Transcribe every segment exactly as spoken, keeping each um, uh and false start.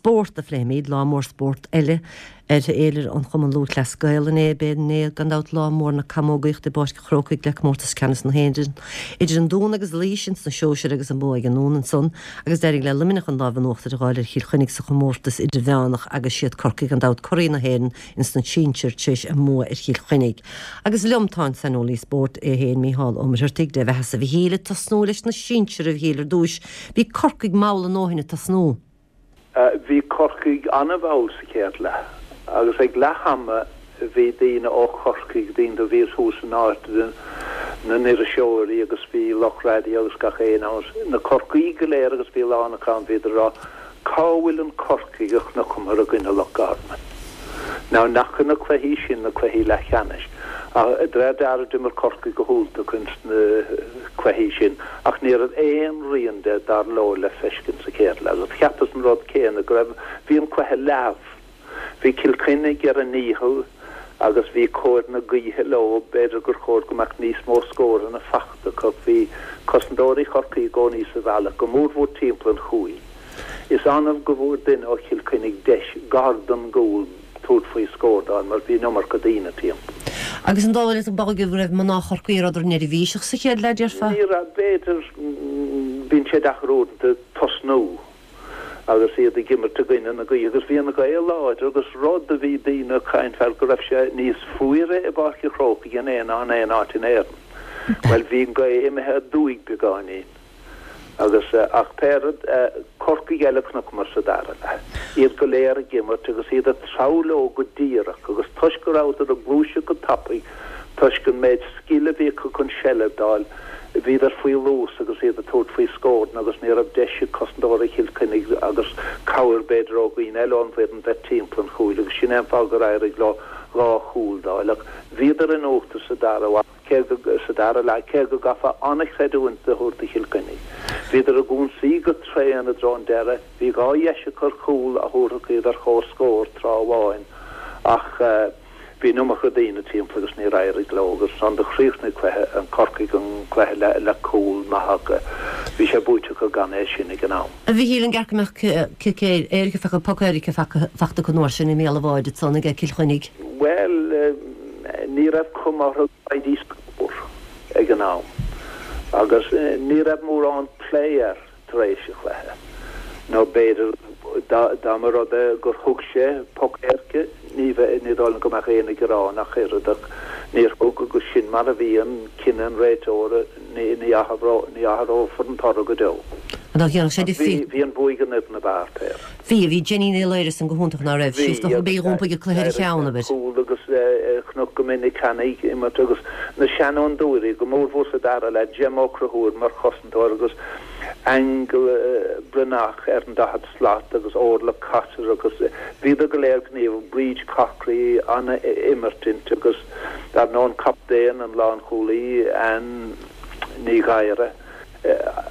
Spórt a phléimid lá mór spórt eile ar fhéilire an Chumann Lúthchleas Gael inné b'inné gan dabht lá mór na camógaíochta i bPáirc an Chrócaigh le comórtas ceannais na hÉireann. Idir an Dún agus Laois ins na sóisir agus an bua ag an nDún ansan agus d'éirigh le Luimneach an lámh in uachtar a fháil ar Chill Chainnigh sa chomórtas idirmheánach agus siad Corcaigh gan dabht curaidh na hÉireann ins na sinsir tar éis a mbua ar Chill Chainnigh. Agus liom tá an saineolaí spóirt é féin Mícheál Ó Muircheartaigh Dia do bheatha-sa a Mhichíl ag tosnú leis na sinsir a Mhichíl ar dtús, bhí Corcaigh mall a ndóthain ag tosnú. Bhí Corcaigh an-mhall sa chéad leath agus ag leath ama bhí daoine ó Chorcaigh daoine a bhí thuas in áit na n-iriseoirí agus bhí lucht raidió agus gach aon ann na Corcaígh go léir agus bhí lán acu bhíodar ag rá cá bhfuil an Corcaigh a chonaiceamar i gcoinne Loch Garman. Now nach na cluichí sin na cluichí leathcheannais. De réir dealraimh d'imir Corcaigh go hiontach ins na cluichí sin ach ní raibh aon rian de dar leo le feiscint sa chéad leath agus cheapas an rud céanna go raibh bhí an cluiche leamh. Bhí Cill Chainnigh ar a ndícheall agus bhí cóir na gaoithe leo b'fhéidir gur chóir go mbeadh níos mó scóranna fachta acu bhí cosantóirí Chorcaí i gcónaí sa bhealach go mórmhór timpeall an chúil. Is annamh go bhfuair duine ó Chill Chainnigh deis gar don gcúl tabhairt faoi scór d'fháil mar bhí an iomarca daoine timpeall. Agus an dóigh leat go raibh mná Chorcaí rud neirbhíseach sa chéad leath déarfá? Ní raibh b'fhéidir bíonn sé deacair uaireanta tosnú agus iad ag imirt i gcoinne na gaoithe agus bhí an ghaoth láidir agus rud a bhí daoine ag caint air go raibh sé níos fuaire i bPáirc an Chrócaigh in aon ná in aon áit in Éirinn. Well bhí an ghaoth imithe aduaidh beagáinín. Agus ach pé rud Corcaigh eile a chonaiceamar sa dara leath. Iad go léir ag imirt agus iad ag treabhadh leo go díreach agus toisc go rabhadar ag gluaiseacht go tapaidh toisc an méid scil a bhí acu chun seilbh d'fháil bhíodar faoi luas agus iad ag tabhairt faoi scóranna agus ní raibh deis ag cosantóirí Chill Chainnigh agus cabhair b'fhéidir ó dhaoine eile ón bhfoireann bheith timpeall an chúil agus sin é an fáth gur éirigh leo dhá chúl d'fháil ach bhíodar in uachtar sa dara cé go sa dara leath cé go gcaithfeá an-chreidiúint a thabhairt do Chill Chainnigh. Bhíodar ag ionsaí go tréan i dtreo an deireadh, bhí dhá dheis acu ar chúl a thabharfadh iad ar chomhscór tráth amháin ach bhí an iomarca daoine timpeall agus níor éirigh leo agus ansan do chríochnaigh cluiche an Corcaigh an cluiche le le cúl maith acu. Bhí sé buaite acu gan é sin ag an am. A Mhichíl an gceart go mbeadh cic éirice fecha poc éirice fachta acu an uair sin i mbéal an bháid ansan ag Cill Chainnigh? Bhuel ní raibh cuma orthu go bhfaighidís scór ag an am agus ní raibh mórán plé air tar éis an chluiche nó b'fhéidir dá mba rud é gur thug sé poc éirice ní bheith ní dóigh liom go mbeadh éinne ag gearán ach oiread ach níor thug agus sin mar a bhíonn cinneadh an réiteora ní ní ní athrófar an toradh go deo. An dá sé de Bhí bhí an bua ag an fhoireann ab fhearr péire. Bhí bhí Jenny Ní Laoire san go hiontach ná raibh sí do bhí iompaigh a cluiche ar a cheann abair. Cúl agus chonac go minic cheana ag imirt agus na seanfhondúirí go mórmhór sa dara leath Gemma Ó Conchúir mar chosantóir agus Aingeal Breathnach ar an daichead slat agus Orla Cotter agus bhíodar go léir gníomhach Bríd Corkery an-imirt inti agus dar ndóigh an captaen an lánchúlaí Ann Ní Ghadhra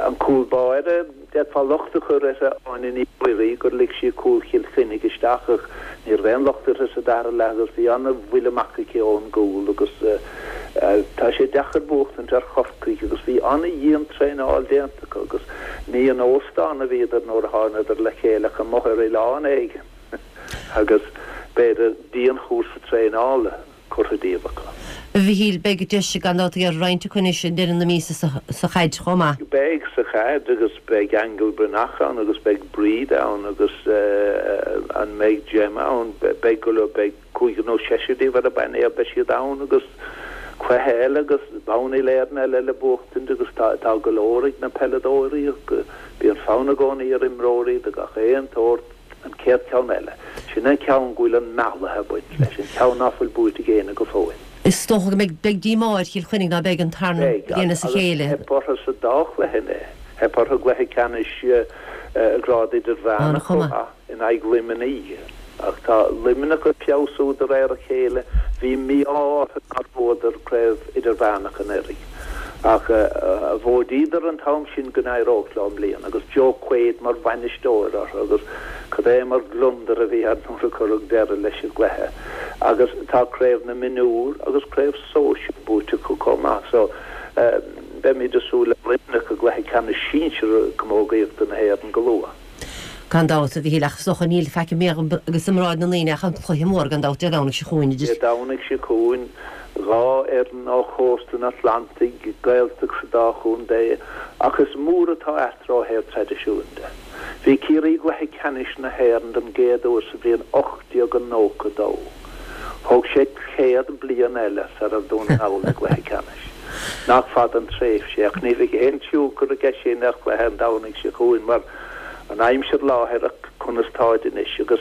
an cúl báire d'fhéadfá locht a chur uirthi Áine Ní Mhuirí gur lig sí cúl Chill Chainnigh isteach ach ní raibh aon locht uirthi sa dara leath agus bhí an-bhuille amach aici ón gcúl agus tá sé deacair buachtaint ar Chorcaigh agus bhí an-dhian-traenáil déanta acu agus ní in óstán a bhíodar nuair a thánadar le chéile ach amuigh ar oileán éigin agus b'fhéidir dianchúrsa traenála curtha díobh acu. A Mhichíl beidh deis gan dabht ar roinnt acu anois i ndeireadh na míosa sa chaid chomh maith. Beidh sa chaid agus beidh Aingeal Breathnach ann agus beidh Bríd ann agus an mbeidh Gemma ann beidh go leor beidh cúigear nó seisear díobh ar an bpainéal beidh siad ann agus cluiche eile agus bonn uile-Éireann eile le buachtaint agus tá tá go leor ag na peileadóirí bíonn fonn i gcónaí ar imreoirí de gach aon tsórt an chéad cheann eile. Sin an ceann go bhfuil an mealladh ag baint leis, an ceann ná fuil buaite ag éinne go fóill. Is dócha go mbeidh beidh díomá ar Chill Chainnigh ná beidh an tarna Beidh, bliain as a agus chéile. theip orthu sa dá chluiche inné. Theip orthu i gcluiche ceannais grád idirmheánach chomh An-chuma. maith in aghaidh Luimnigh. Ach tá Luimneach ag feabhsú de réir a chéile. Bhí mí-ádh orthu nár bhuadar craobh idirmheánach anuraidh. Ach mhóidíodar an t-am sin go n-éireodh leo i mbliana agus Joe Quaid mar bhainisteoir orthu agus cad é mar gliondar a bhí air nuair a cuireadh deireadh leis an gcluiche. Agus tá craobh na mionúr agus craobh sóisir buaite acu chomh maith so beimid ag súil le Luimneach i gcluiche ceannais sinsir camógaíochta na hÉireann go luath. Gan dabht, a Mhíchíl, ach is dócha níl faic i mbéal agus i mbráid na ndaoine ach an cluiche mór gan dabht Dé Domhnaigh seo chugainn idir. Dé Domhnaigh seo chugainn, dhá fhoireann ó chósta an Atlantaigh, Gaeltacht sa dá chontae, ach is mór atá eatarthu ó thaobh traidisiúin de. Bhí Ciarraí i gcluiche ceannais na hÉireann den gcéad uair sa bhliain ocht déag nócha a dó. Thóg sé céad bliain eile sar a raibh Dún na nGall i gcluiche ceannais. Nach fada an tréimhse é, ach ní bheidh aon tionchar aige sin ar chluiche an Domhnaigh seo chugainn mar an aimsir láithreach conas táid anois agus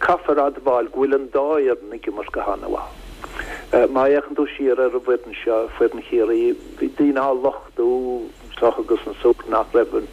caithfear admháil go bhfuil an dá fhoireann ag imirt go han-mhaith. Má fhéachann tú siar ar an bhfoireann seo, foireann Chiarraí, bhí daoine á lochtú anseo agus ansúd nach raibh an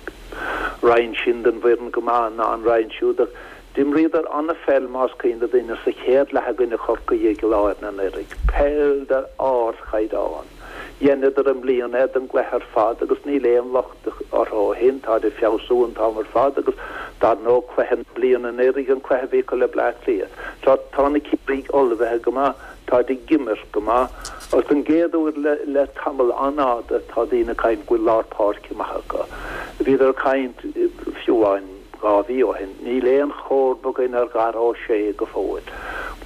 roinn sin den bhfoireann go maith ná an roinn siúd ach d'imríodar an-pheil más cuimhin le daoine sa chéad leath i gcoinne Chorcaí i gCill Airne anuraidh. Peil d'ardchaighdeán. Dheineadar i mbliana é don gcluiche ar fad agus níl aon locht orthu ó shin, táid ag feabhsú an t-am ar fad agus dar ndóigh cluiche na bliana anuraidh an cluiche a bhí acu le Bleá Cliath. Tá tá na Ciarraígh ullmhaithe go maith, táid ag imirt go maith agus don gcéad uair le le tamall an-fhada tá daoine ag caint go bhfuil lár páirce maith acu. Bhíodar ag caint fiú amháin dhá mhí ó shin. Níl aon chomharba againn ar Dhara Ó Sé go fóill.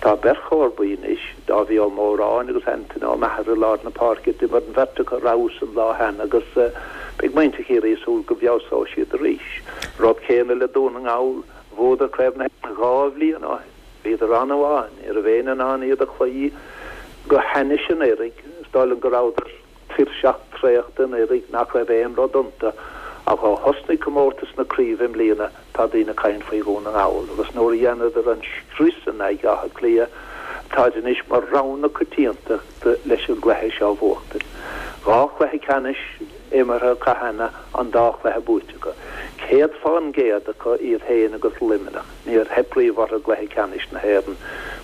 Tá beirt chomharbaí anois, Dáibhí Ó Móráin agus Antaine Ó Meachair i lár na páirce. D'imir an bheirt acu ar fheabhas an lá cheana agus beidh muintir Chiarraí ag súil go bhfeabhsóidh siad arís. Rud céanna le Dún na nGall, bhuadar Craobh na hÉireann dhá bhliain ó shin. Bhíodar an-mhaith, ní raibh éinne in ann iad a chloí go hainnis anuraidh. Is dóigh liom go rabhadar tuirseach traochta anuraidh nach raibh aon rud iontu ach ó thosnaigh comórtas na craoibhe i mbliana tá daoine ag caint faoi Dhún na nGall agus nuair a dheineadar an scrios in aghaidh Átha Cliath táid anois mar rogha na coitiantachta leis an gcluiche seo a bhuachtaint. Dhá chluiche ceannais imeartha acu cheana, an dá chluiche buaite acu. Céad fán gcéad acu iad féin agus Luimneach. Níor theip riamh orthu i gcluiche ceannais na hÉireann.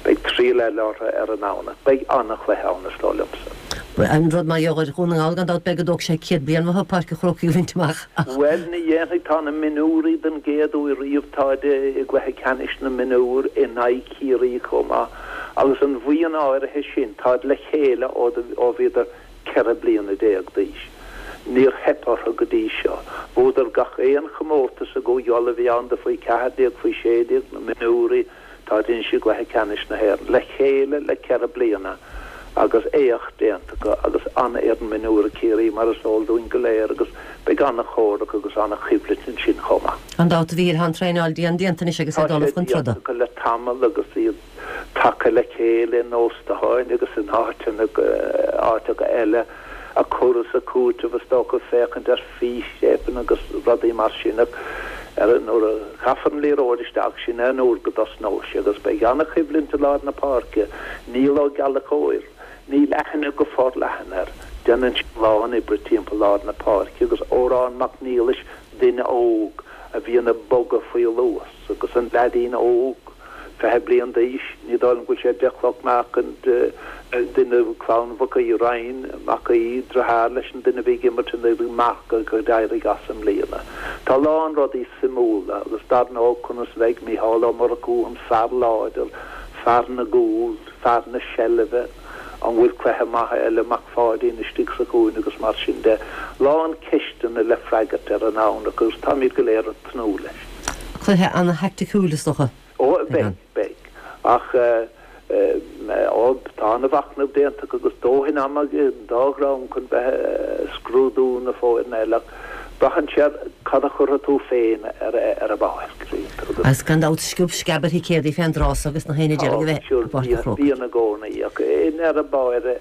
Beidh triail eile orthu ar an nDomhnach. Beidh an-chluiche ann is dóigh liomsa. An rud mar gheall ar Dhún na nGall gan dabht beidh go dtógfaidh sé céad bliain uathu Páirc an Chrócaigh a bhaint amach ach. Bhuel, ní dhéanfaidh. Tá na mionúirí den gcéad uair riamh, táid i gcluiche ceannais na mionúr in aghaidh Chiarraí chomh maith agus an bhuíon áirithe sin, táid le chéile ó bhíodar ceithre bliana déag d'aois. Níor theip orthu go dtí seo. Bhuadar gach aon chomórtas i gCúige Uladh a bhí ann do faoi ceathair déag, faoi sé déag, na mionúirí, táid anois i gcluiche ceannais na hÉireann le chéile le ceithre bliana agus éacht déanta acu agus an-fhoireann mionúir ag Ciarraí mar is eol dúinn go léir agus beidh an-chomhrac agus an-choimhlint ansin chomh maith. Gan dabht a Mhíchíl, tá an traenáil dian déanta anois agus Tá é ag dul sé chun déanta troda. acu le tamall agus iad tagtha le chéile in óstáin agus in áiteanna áiteacha eile ag cur is ag cúiteamh is dócha féachaint ar fístéipeanna agus rudaí mar sin ach ar nuair a chaithfear an liathróid isteach sin é an uair go dtosnóidh sé agus beidh an-choimhlint i lár na páirce. Níl Ó Gallchóir, níl aithne go forleathan air. Déanann sé a lán oibre timpeall lár na páirce agus Odhrán Mac Niallais, duine óg a bhíonn ag bogadh faoi luas agus an leaidín óg, fiche bliain d'aois, ní dóigh liom go bhfuil sé deich cloch meáchain duine clann Mhic Aoidh, Ryan Mac Aoidh, deartháir leis an duine a bhí ag imirt anuraidh, Marc a d'éirigh as i mbliana. Tá a lán rudaí suimiúla agus dar ndóigh conas a bheidh Mícheál Ó Murchú, an fear láidir, fear na gcúl, fear na seilbhe, an bhfuil cluiche maith eile Mac Pháidín istigh sa chúinne agus mar sin de. Lán ceisteanna le freagairt ar an nDomhnach agus táimid go léir ag tnúth leis. Cluiche ana-thaicticiúil is dócha. Ó, beidh, beidh. Ach ó, tá ana-mhachnamh déanta acu agus dóthain ama ag an dá dhream chun bheith ag scrúdú na foirne eile ach braitheann sé ar cad a chuirfidh tú féin ar ar an bpáirc. Agus. Agus gan dabht sciob sceab ar thicéadaí fén dtráth so agus na héinne Tá, deiridh a bheith sure, i bPáirc an bíonn, Chrócaigh. bíonn i gcónaí ach i ndeireadh báire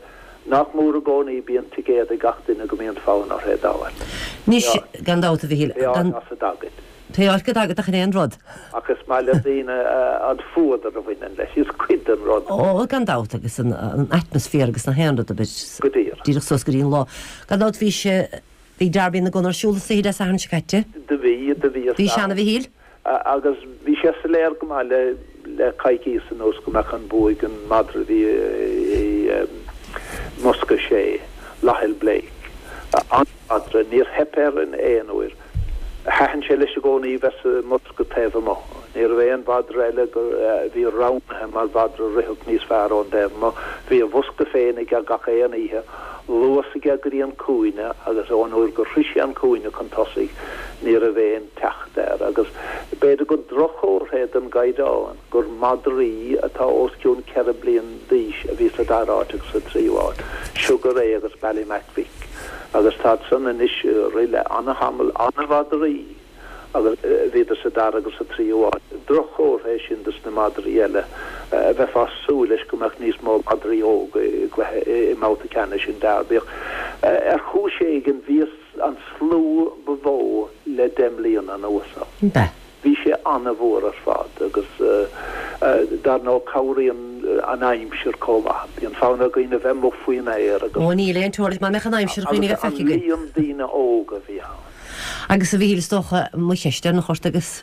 nach mór i gcónaí bíonn ticéad ag gach duine go mbíonn fonn orthu é d'fháil. Anois, gan dabht a Mhichíl, Pé áit gan. as a dtagaid. Pé áit go dtagaid ach an aon rud. Ach is maith le daoine an fuadar a bhaineann leis, is cuid den rud. Ó, gan dabht, agus an atmaisféar agus na haon rud a bit Go díreach. díreach suas go dtí an lá. Gan dabht bhí sé, bhí Derby na gCon ar siúl istoíche Dé Sathairn seo caite. Do bhí, do bhí Bhí sé ann a Mhichíl? Agus bhí sé soiléir go maith le le coicíos anuas go mbeadh an bua ag an madra a bhí i mbosca a sé, Laughil Blake. An madra, níor theip air in aon uair. Thaitin sé leis i gcónaí bheith sa mbosca taobh amuigh. Ní raibh aon mhadra eile a bhí roghnaithe mar mhadra a rithfeadh níos fearr ón dtaobh amuigh. Bhí a bhosca féin aige gach aon oíche, luas aige go dtí an cúinne agus ón uair gur shroich sé an cúinne chun tosaigh, Ní raibh aon teacht air agus b'fhéidir gur droch-chomhartha é don gcaighdeán gur madraí atá os cionn ceithre bliain d'aois a bhí sa dara háit agus sa tríú háit, Sugar Ray agus Ballymac Vic. Agus táid san anois ag rith le ana-thamall, ana-mhadraí agus bhíodar sa dara agus sa tríú háit. Droch-chomhartha é sin dos na madraí eile. Bheifeá ag súil leis go mbeadh níos mó madraí óga i gcluiche i mbabhta ceannais an Derby ach ar chúis éigin bhíos an slua ba mhó le deich mbliana anuas ann. Bea. Bhí sé an-mhór ar fad agus dar ndóigh cabhraíonn an aimsir chomh maith. Bíonn fonn ar dhaoine bheith amuigh faoin aer agus. Ó níl aon teoiric má mbeadh an aimsir dhaoine a bheith feicthe againn. Agus an líon daoine óga a bhí ann. Agus a Mhíchíl is dócha mo cheist deireanach ort agus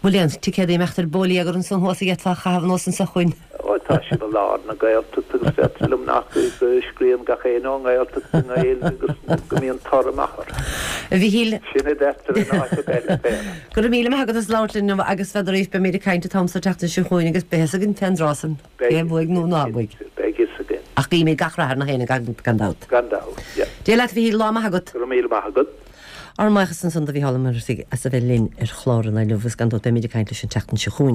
bhfuil aon ticéad ag imeacht ar bólaí agat ansan thuas a d'fhéadfá a chaitheamh anuas anseo chugainn? Ó tá sibh i lár na Gaeltachta agus deirtear liom nach go scríobhann gach éinne ón nGaeltacht i nGaeilge agus go mbíonn toradh maith orthu. A Mhíchíl. Sin a deirtear in áiteacha eile féin. Go raibh míle maith agat as labhairt linn agus n'fheadar arís beimid ag caint an t-am seo tseachtain seo chugainn agus beidh fhios againn fén dtráth san cé a bhuaigh nó ná buaigh. Beidh fhios againn. Ach guímid gach rath ar na héinne gan dabht. Gan dabht, yeah. Dia leat a Mhíchíl, lá maith agat. Go raibh míle maith agat. Ár mbuíochas ansan do Mhícheál Ó Muircheartaigh as a bheith linn ar chlár an lae inniu agus gan dabht beimid ag caint leis an tseachtain seo chugainn.